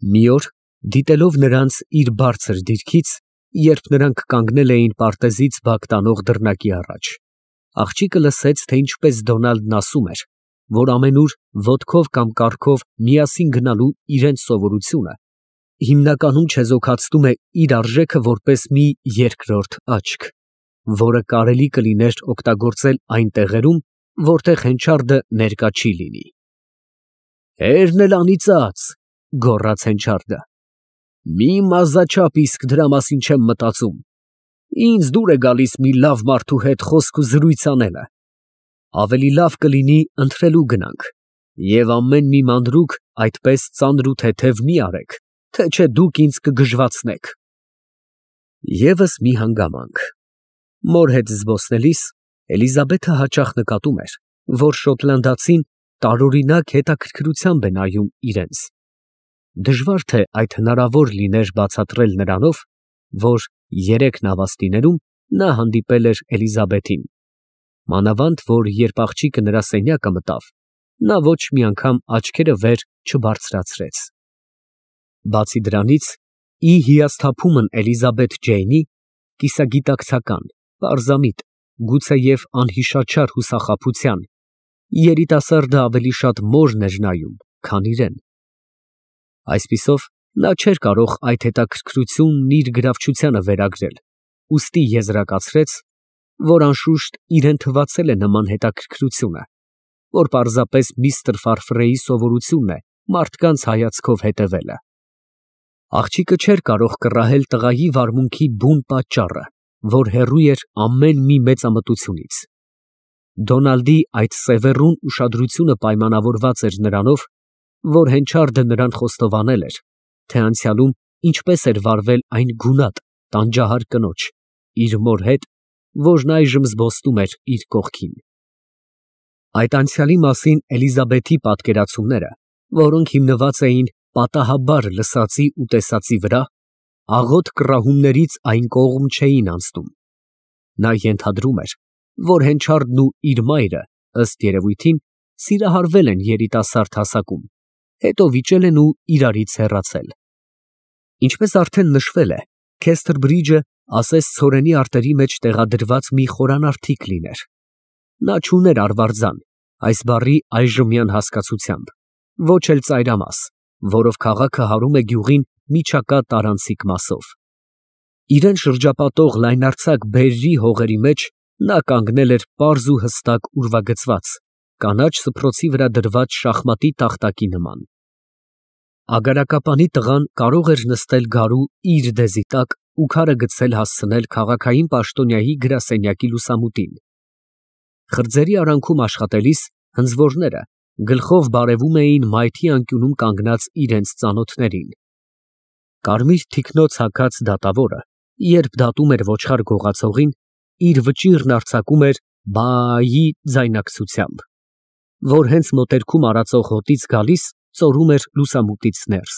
Մի օր, դիտելով նրանց իր բարձր դիրքից, երբ նրանք կանգնել էին պարտեզից բակ տանող դռնակի առաջ, աղջիկը լսեց, թե ինչպես Դոնալդն ասում էր, որ ամենուր ոտքով կամ կառքով միասին գնալու իրենց սովորությունը հիմնականում չեզոքացնում է իր արժեքը որպես մի երկրորդ աչք, որը կարելի կլիներ օգտագործել այն տեղերում, որտեղ հենչարդը ներկա չի լինի։ «Հերն էլ անիծած», գոռաց հենչարդը, «մի մազաչափ իսկ դրա մասին չեմ մտածում, ինձ դուր է գալիս մի լավ մարդու հետ խոսք ու զրույց անելը, ավելի լավ կլինի ընթրելու գնանք, և ամեն մի մանրուք այդպես ծանր ու թեթև մի արեք, թե չէ դուք ինձ կգժվացնեք»։ Եվս մի հանգամանք. մոր հետ զբոսնելիս Էլիզաբեթը հաճախ նկատում էր, որ շոտլանդացին տարօրինակ հետաքրքրությամբ է նայում իրենց։ Դժվար թե այդ հնարավոր լիներ բացատրել նրանով, որ երեք նավաստիներում նա հանդիպել էր Էլիզաբեթին, մանավանդ որ երբ աղջիկը նրա սենյակը մտավ, նա ոչ մի անգամ աչքերը վեր չբարձրացրեց։ Բացի դրանից, ի հիասթափումն Էլիզաբեթ Ջեյնի, կիսագիտակցական, պարզամիտ, գուցեև անհիշաչար հուսախաբության, երիտասարդը ավելի շատ մորն էր նայում, քան իրեն։ Այսպիսով, նա չէր կարող այդ հետաքրքրությունն իր գրավչությանը վերագրել, ուստի եզրակացրեց, որ անշուշտ իրեն թվացել է նման հետաքրքրությունը, որ պարզապես միստր Ֆարֆրեի սովորությունն է մարդկանց հայացքով հետևելը։ Աղջիկը չէր կարող կռահել տղայի վարմունքի բուն պատճառը, որ հեռու էր ամեն մի մեծամտությունից։ Դոնալդի այդ սևեռուն ուշադրությունը պայմանավորված էր նրանով, որ հենչարդը նրան խոստովանել էր, թե անցյալում ինչպես էր վարվել այն գունատ, տանջահար կնոջ, իր մոր հետ, որն այժմ զբոսնում էր իր կողքին։ Այդ անցյալի մասին Էլիզաբեթի պատկերացումները, որոնք հիմնված էին պատահաբար լսածի ու տեսածի վրա, աղոտ կռահումներից այն կողմ չէին անցնում։ Նա ենթադրում էր, որ հենչարդն ու իր մայրը, ըստ երևույթին, սիրահարվել են երիտասարդ հասակում, հետո վիճել են ու իրարից հեռացել։ Ինչպես արդեն նշվել է, Քեսթրբրիջը ասես ցորենի արտերի մեջ տեղադրված մի խորանարդիկ լիներ։ Նա չուներ արվարձան, այս բառի այժմյան հասկացությամբ, ոչ էլ ծայրամաս, որով քաղաքը հարում է գյուղին միջակա տարանցիկ մասով։ Իրեն շրջապատող լայնարձակ բերրի հողերի մեջ նա կանգնել էր պարզ ու հստակ ուրվագծված, կանաչ սփռոցի վրա դրված շախմատի տախտակի նման։ Ագարակապանի տղան կարող էր նստել գարու իր դեզի տակ ու քարը գցել հասցնել քաղաքային պաշտոնյայի գրասենյակի լուսամուտին։ Խրձերի արանքում աշխատելիս հնձվորները գլխով բարևում էին մայթի անկյունում կանգնած իրենց ծանոթներին։ Կարմիր թիկնոց հագած դատավորը, երբ դատում էր ոչխար գողացողին, իր վճիռն արձակում էր «բայ»-ի ձայնակցությամբ, որ հենց մոտերքում արածող հոտից գալիս ծորում էր լուսամուտից ներս։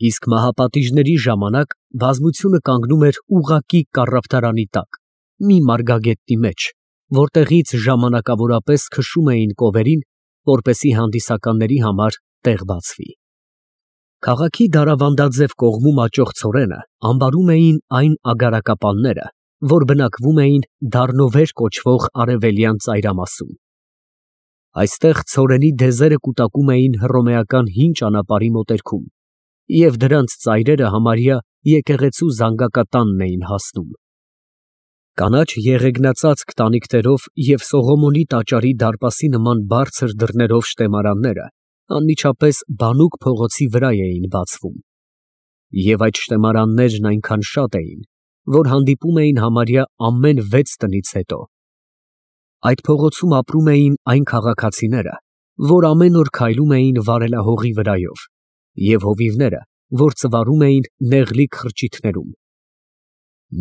Իսկ մահապատիժների ժամանակ բազմությունը կանգնում էր ուղղակի կառավարանի տակ, մի մարգագետնի մեջ, որտեղից ժամանակավորապես քշում էին կովերին, որպեսզի հանդիսականների համար տեղ բացվի։ Քաղաքի դարավանդաձև կողմում աճող ցորենը ամբարում էին այն ագարակապանները, որ բնակվում էին Դառնովեր կոչվող արևելյան ծայրամասում։ Այստեղ ցորենի դեզերը կուտակում էին հռոմեական հին ճանապարհի մոտերքում, և դրանց ծայրերը համարյա եկեղեցու զանգակատանն էին հասնում։ Կանաչ եղեգնածածկ տանիքներով և Սողոմոնի տաճարի դարպասի նման բարձր դռներով շտեմարանները անմիջապես բանուկ փողոցի վրա էին բացվում։ Եվ այդ շտեմարաններն այնքան շատ էին, որ հանդիպում էին համարյա ամեն 6 տնից հետո։ Այդ փողոցում ապրում էին այն քաղաքացիները, որ ամեն օր քայլում էին վարելահողի վրայով, և հովիվները, որ ծվարում էին նեղլիկ խրճիթներում։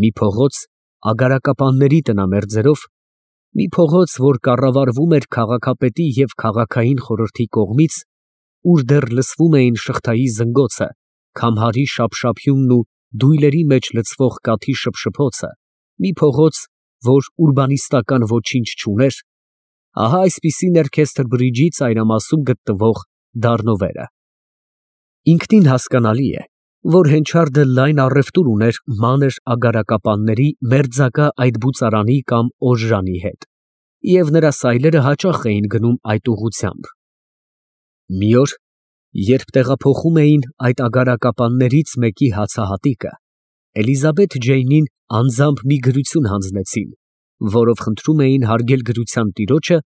Մի փողոց ագարակապանների տնամերձերով, մի փողոց, որ կառավարվում էր քաղաքապետի և քաղաքային խորհրդի կողմից, ուր դեռ լսվում էին շղթայի զնգոցը, քամհարի շափշափյունն ու դույլերի մեջ լցվող կաթի շփշփոցը, մի փողոց, որ ուրբանիստական ոչինչ չուներ, ահա այսպիսին էր Քեսթրբրիջի ծայրամասում գտնվող Դառնովերը։ Ինքնին հասկանալի է, որ Հենչարդը լայն առևտուր ուներ մանր ագարակապանների մերձակա այդ բուծարանի կամ օժրանի հետ, և նրա սայլերը հաճախ էին գնում այդ ուղղությամբ։ Մի օր, երբ տեղափոխում էին այդ ագարակապաններից մեկի հացահատիկը, Էլիզաբեթ Ջեյնին անձամբ մի գրություն հանձնեցին, որով խնդրում էին հարգել գրության տիրոջը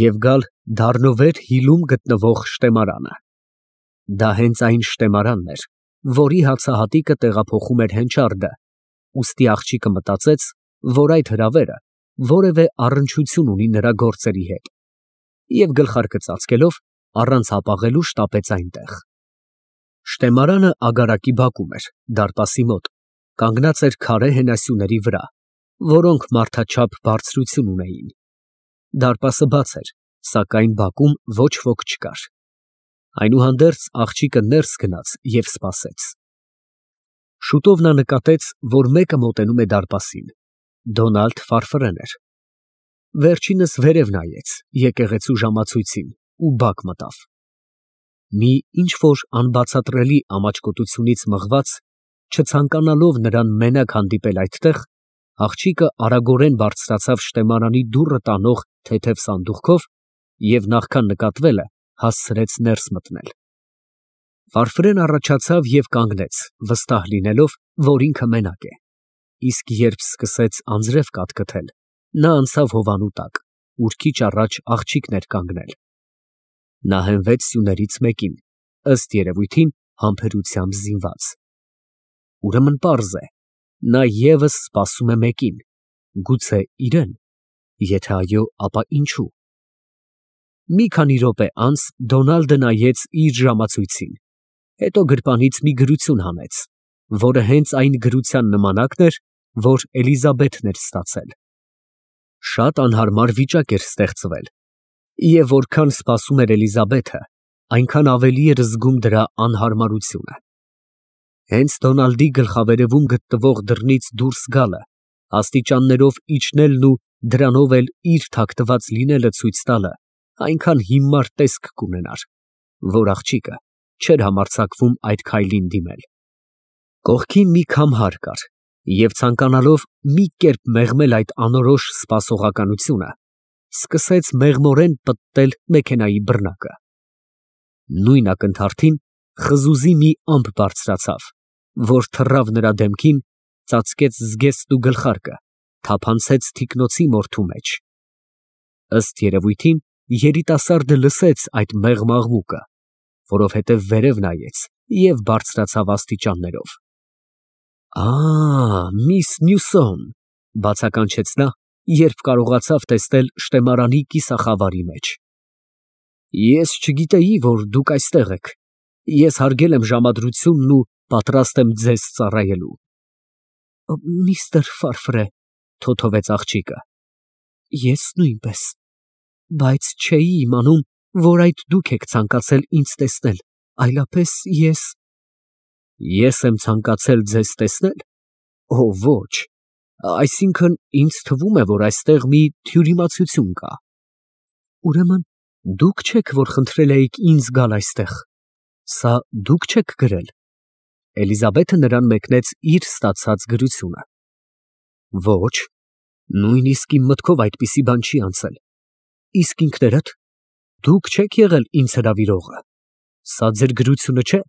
և գալ Դառնովեր Հիլում գտնվող շտեմարանը։ Դա հենց այն շտեմարանն էր, որի հացահատիկը տեղափոխում էր Հենչարդը, ուստի աղջիկը մտածեց, որ այդ հրավերը որևէ առնչություն ունի նրա գործերի հետ, և գլխարկը ծածկելով, առանց հապաղելու շտապեց այնտեղ։ Շտեմարանը ագարակի բակում էր, դարպասի մոտ, կանգնած էր քարե հենասյուների վրա, որոնք մարդաչափ բարձրություն ունեին։ Դարպասը բաց էր, սակայն բակում ոչ ոք չկար։ Այնուհանդերձ աղջիկը ներս գնաց և սպասեց։ Շուտով նա նկատեց, որ մեկը մոտենում է դարպասին։ Դոնալդ Ֆարֆրեն էր։ Վերջինս վերև նայեց եկեղեցու ժամացույցին ու բակ մտավ։ Մի ինչ֊որ անբացատրելի ամաչկոտությունից մղված, չցանկանալով նրան մենակ հանդիպել այդտեղ, աղջիկը արագորեն բարձրացավ շտեմարանի դուռը տանող թեթև սանդուղքով և նախքան նկատվելը հասցրեց ներս մտնել։ Ֆարֆրեն առաջացավ և կանգնեց, վստահ լինելով, որ ինքը մենակ է, իսկ երբ սկսեց անձրև կաթկթել, նա անցավ հովանու տակ, ուր քիչ առաջ աղջիկն էր կանգնել։ Նա հենվեց սյուներից մեկին, ըստ երևույթին համբերությամբ զինված։ Ուրեմն պարզ է, նա ևս սպասում է մեկին, գուցե իրեն, եթե այո, ապա ինչու։ Մի քանի րոպե անց Դոնալդը նայեց իր ժամացույցին, հետո գրպանից մի գրություն հանեց, որը հենց այն գրության նմանակն էր, որ Էլիզաբեթն էր ստացել։ Շատ անհարմար վիճակ էր ստեղծվել, և որքան սպասում էր Էլիզաբեթը, այնքան ավելի էր զգում դրա անհարմարությունը։ Հենց Դոնալդի գլխավերևում գտնվող դռնից դուրս գալը, աստիճաններով իջնելն ու դրանով էլ իր թաքնված լինելը ցույց տալը այնքան հիմար տեսք կունենար, որ աղջիկը չէր համարձակվում այդ քայլին դիմել։ Կողքին մի քամհար կար, և ցանկանալով մի կերպ մեղմել այդ անորոշ սպասողականությունը, սկսեց մեղմորեն պտտել մեքենայի բռնակը։ Նույն ակնթարթին խզուզի մի ամպ բարձրացավ, որ թռավ նրա դեմքին, ծածկեց զգեստն ու գլխարկը, թափանցեց թիկնոցի մորթու մեջ։ Ըստ երևույթին երիտասարդը լսեց այդ մեղմ աղմուկը, որովհետև վերև նայեց և բարձրացավ աստիճաններով։ Միս Նյուսոն, բացականչեց նա, երբ կարողացավ տեսնել շտեմարանի կիսախավարի մեջ։ Ես չգիտեի, որ դուք այստեղ եք։ Ես հարգել եմ ժամադրությունն ու պատրաստ եմ ձեզ ծառայելու։ Միստր Ֆարֆրե, թոթվեց աղջիկը, ես նույնպես, բայց չէի իմանում, որ այդ դուք եք ցանկացել ինձ տեսնել, այլապես Ես եմ ցանկացել ձեզ տեսնել։ Օ, ոչ, այսինքն ինձ թվում է, որ այստեղ մի թյուրիմացություն կա։ Ուրեմն դուք չեք, որ խնդրել էիք ինձ գալ այստեղ։ Սա դուք չեք գրել։ Էլիզաբեթը նրան մեկնեց իր ստացած գրությունը։ Ոչ, նույնիսկ իմ մտքով այդպիսի բան չի անցել։ Իսկ ինքներդ, դուք չեք եղել ինձ հրավիրողը։ Սա ձեր գրությունը չէ։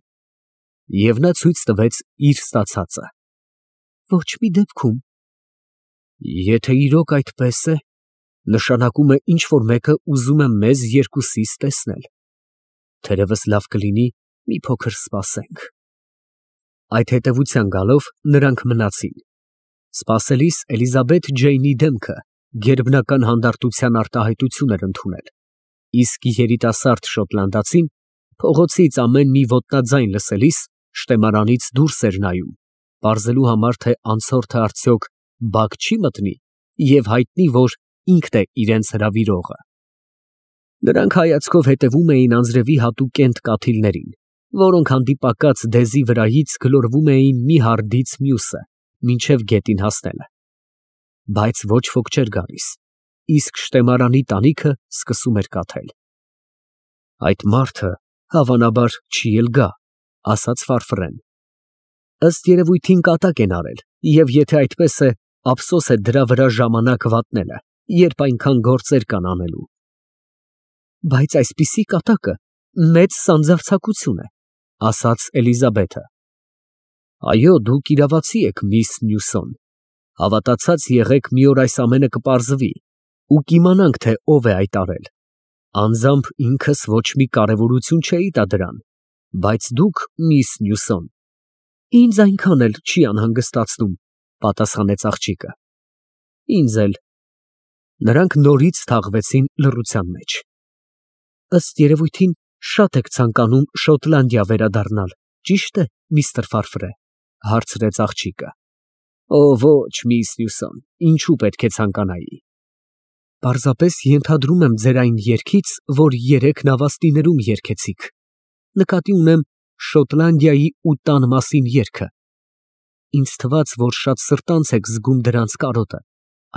Եվ նա ցույց տվեց իր ստացածը։ Ոչ մի դեպքում։ Եթե իրոք այդպես է, նշանակում է ինչ֊որ մեկը ուզում է մեզ երկուսիս տեսնել։ Թերևս լավ կլինի մի փոքր սպասենք։ Այդ հետևության գալով նրանք մնացին։ Սպասելիս Էլիզաբեթ Ջեյնի դեմքը գերբնական հանդարտության արտահայտություն էր ընդունել, իսկ երիտասարդ շոտլանդացին փողոցից ամեն մի ոտնաձայն լսելիս շտեմարանից դուրս էր նայում, պարզելու համար, թե անցորդը արդյոք բակ չի մտնի և հայտնի, որ ինքն է իրենց հրավիրողը։ Նրանք հայացքով հետևում էին անձրևի հատուկենտ կաթիլներին, որոնք հանդիպակաց դեզի վրայից գլորվում էին մի հարդից մյուսը, մինչև գետին հասնելը։ Բայց ոչ ոք չէր գալիս, իսկ շտեմարանի տանիքը սկսում էր կաթել։ Այդ մարդը հավանաբար չի էլ գա, ասաց Ֆարֆրեն։ Ըստ երևույթին կատակ են արել, և եթե այդպես է, ափսոս է դրա վրա ժամանակ վատնելը, երբ այնքան գործեր կան անելու։ Բայց այսպիսի կատակը մեծ սանձարձակություն է, ասաց Էլիզաբեթը։ Այո, դուք իրավացի եք, միս Նյուսոն, հավատացած եղեք, մի օր այս ամենը կպարզվի, ու կիմանանք, թե ով է այդ արել։ Անձամբ ինքս ոչ մի կարևորություն չէի տա դրան, բայց դուք, միս Նյուսոն, ինձ այնքան էլ չի անհանգստացնում, պատասխանեց աղջիկը։ Ինձ էլ։ Նրանք նորից թաղվեցին լռության մեջ։ Ըստ երևույթին շատ եք ցանկանում Շոտլանդիա վերադառնալ, ճիշտ է, միստր Ֆարֆրե, հարցրեց աղջիկը։ Օ, ոչ, միս Նյուսոն, ինչու պետք է ցանկանայի։ Պարզապես ենթադրում եմ ձեր այն երգից, որ երեք նավաստիներում երգեցիք։ Նկատի ունեմ Շոտլանդիայի ու տան մասին երգը։ Ինձ թվաց, որ շատ սրտանց եք զգում դրանց կարոտը,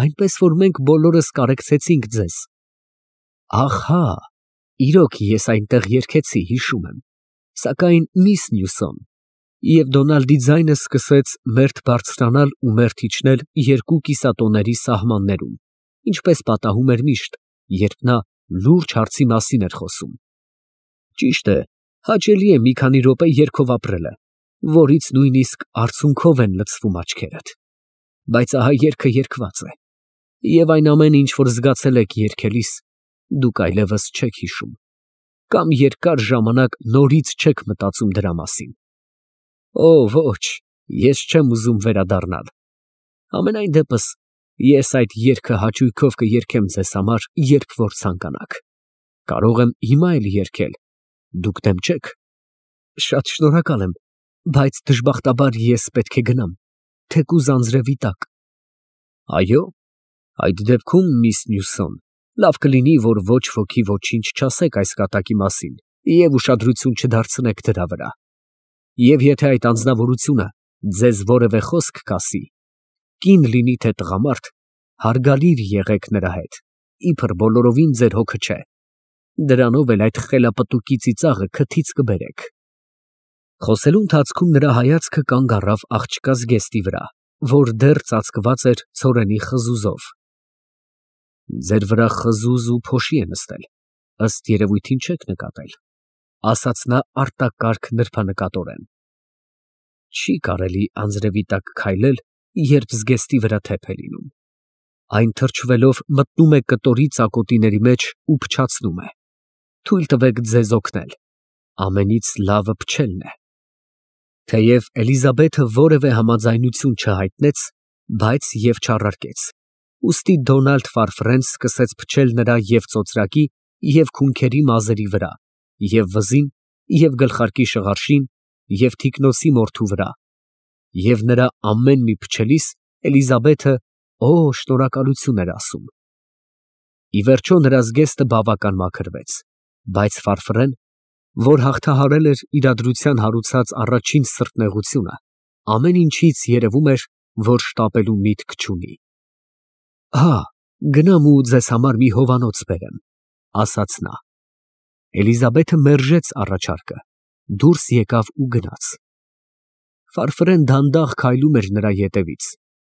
այնպես որ մենք բոլորս կարեկցեցինք ձեզ։ Ահա, իրոք ես այնտեղ երգեցի, հիշում եմ, սակայն միս Նյուսոն, և Դոնալդի ձայնը սկսեց մերթ բարձրանալ ու մերթ իջնել երկու կիսատոների սահմաններում, ինչպես պատահում էր միշտ, երբ նա լուրջ հարցի մասին էր խոսում։ Ճիշտ է, հաճելի է մի քանի րոպե երգով ապրելը, որից նույնիսկ արցունքով են լցվում աչքերդ։ Բայց ահա երգը երգված է, և այն ամենը, ինչ որ զգացել եք երգելիս, դուք այլևս չեք հիշում, կամ երկար ժամանակ նորից չեք մտածում դրա մասին։ Օ, ոչ, ես չեմ ուզում վերադառնալ։ Համենայն դեպս, ես այդ երգը հաճույքով կերգեմ ձեզ համար, երբ որ ցանկանաք։ Կարող եմ հիմա էլ երգել, դուք դեմ չեք։ Շատ շնորհակալ եմ, բայց դժբախտաբար ես պետք է գնամ, թեկուզ անձրևի տակ։ Այո, այդ դեպքում, միս Նյուսոն, լավ կլինի, որ ոչ ոքի ոչինչ չասեք այս կատակի մասին և ուշադրություն չդարձնեք դրա վրա։ Եվ եթե այդ անձնավորությունը ձեզ որևէ խոսք կասի, կին լինի թե տղամարդ, հարգալիր եղեք նրա հետ, իբր բոլորովին ձեր հոգը չէ։ Դրանով էլ այդ խելապտուկի ծիծաղը քթից կբերեք։ Խոսելու ընթացքում նրա հայացքը կանգ առավ աղջկա զգեստի վրա, որ դեռ ծածկված էր ցորենի խզուզով։ Ձեր վրա խզուզ ու փոշի է նստել, ըստ երևույթին չեք նկատել, ասաց նա արտակարգ նրբանկատորեն։ Չի կարելի անձրևի տակ քայլել, երբ զգեստի վրա թեփ է լինում։ Այն թրջվելով մտնում է կտորի ծակոտիների մեջ ու փչացնում է։ Թույլ տվեք ձեզ օգնել։ Ամենից լավը փչելն է։ Թեև Էլիզաբեթը որևէ համաձայնություն չհայտնեց, բայց և չառարկեց։ Ուստի Դոնալդ Ֆարֆրեն սկսեց փչել նրա և ծոծրակի, և քունքերի մազերի վրա, և վզին, և գլխարկի շղարշին, և թիկնոցի մորթու վրա, և նրա ամեն մի փչելիս Էլիզաբեթը «Օ, շնորհակալություն» էր ասում։ Ի վերջո նրա զգեստը բավական մաքրվեց, բայց Ֆարֆրեն, որ հաղթահարել էր իրադրության հարուցած առաջին սրտնեղությունը, ամեն ինչից երևում էր, որ շտապելու միտք չունի։ Հա, գնամ ու ձեզ համար մի հովանոց բերեմ, ասաց նա։ Էլիզաբեթը մերժեց առաջարկը, դուրս եկավ ու գնաց։ Ֆարֆրեն դանդաղ քայլում էր նրա ետևից,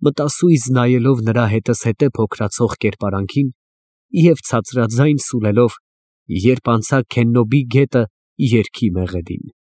մտասույզ նայելով նրա հետզհետե փոքրացող կերպարանքին և ցածրաձայն սուլելով, երբ անցա Քեննոբի գետը երգի մեղեդին։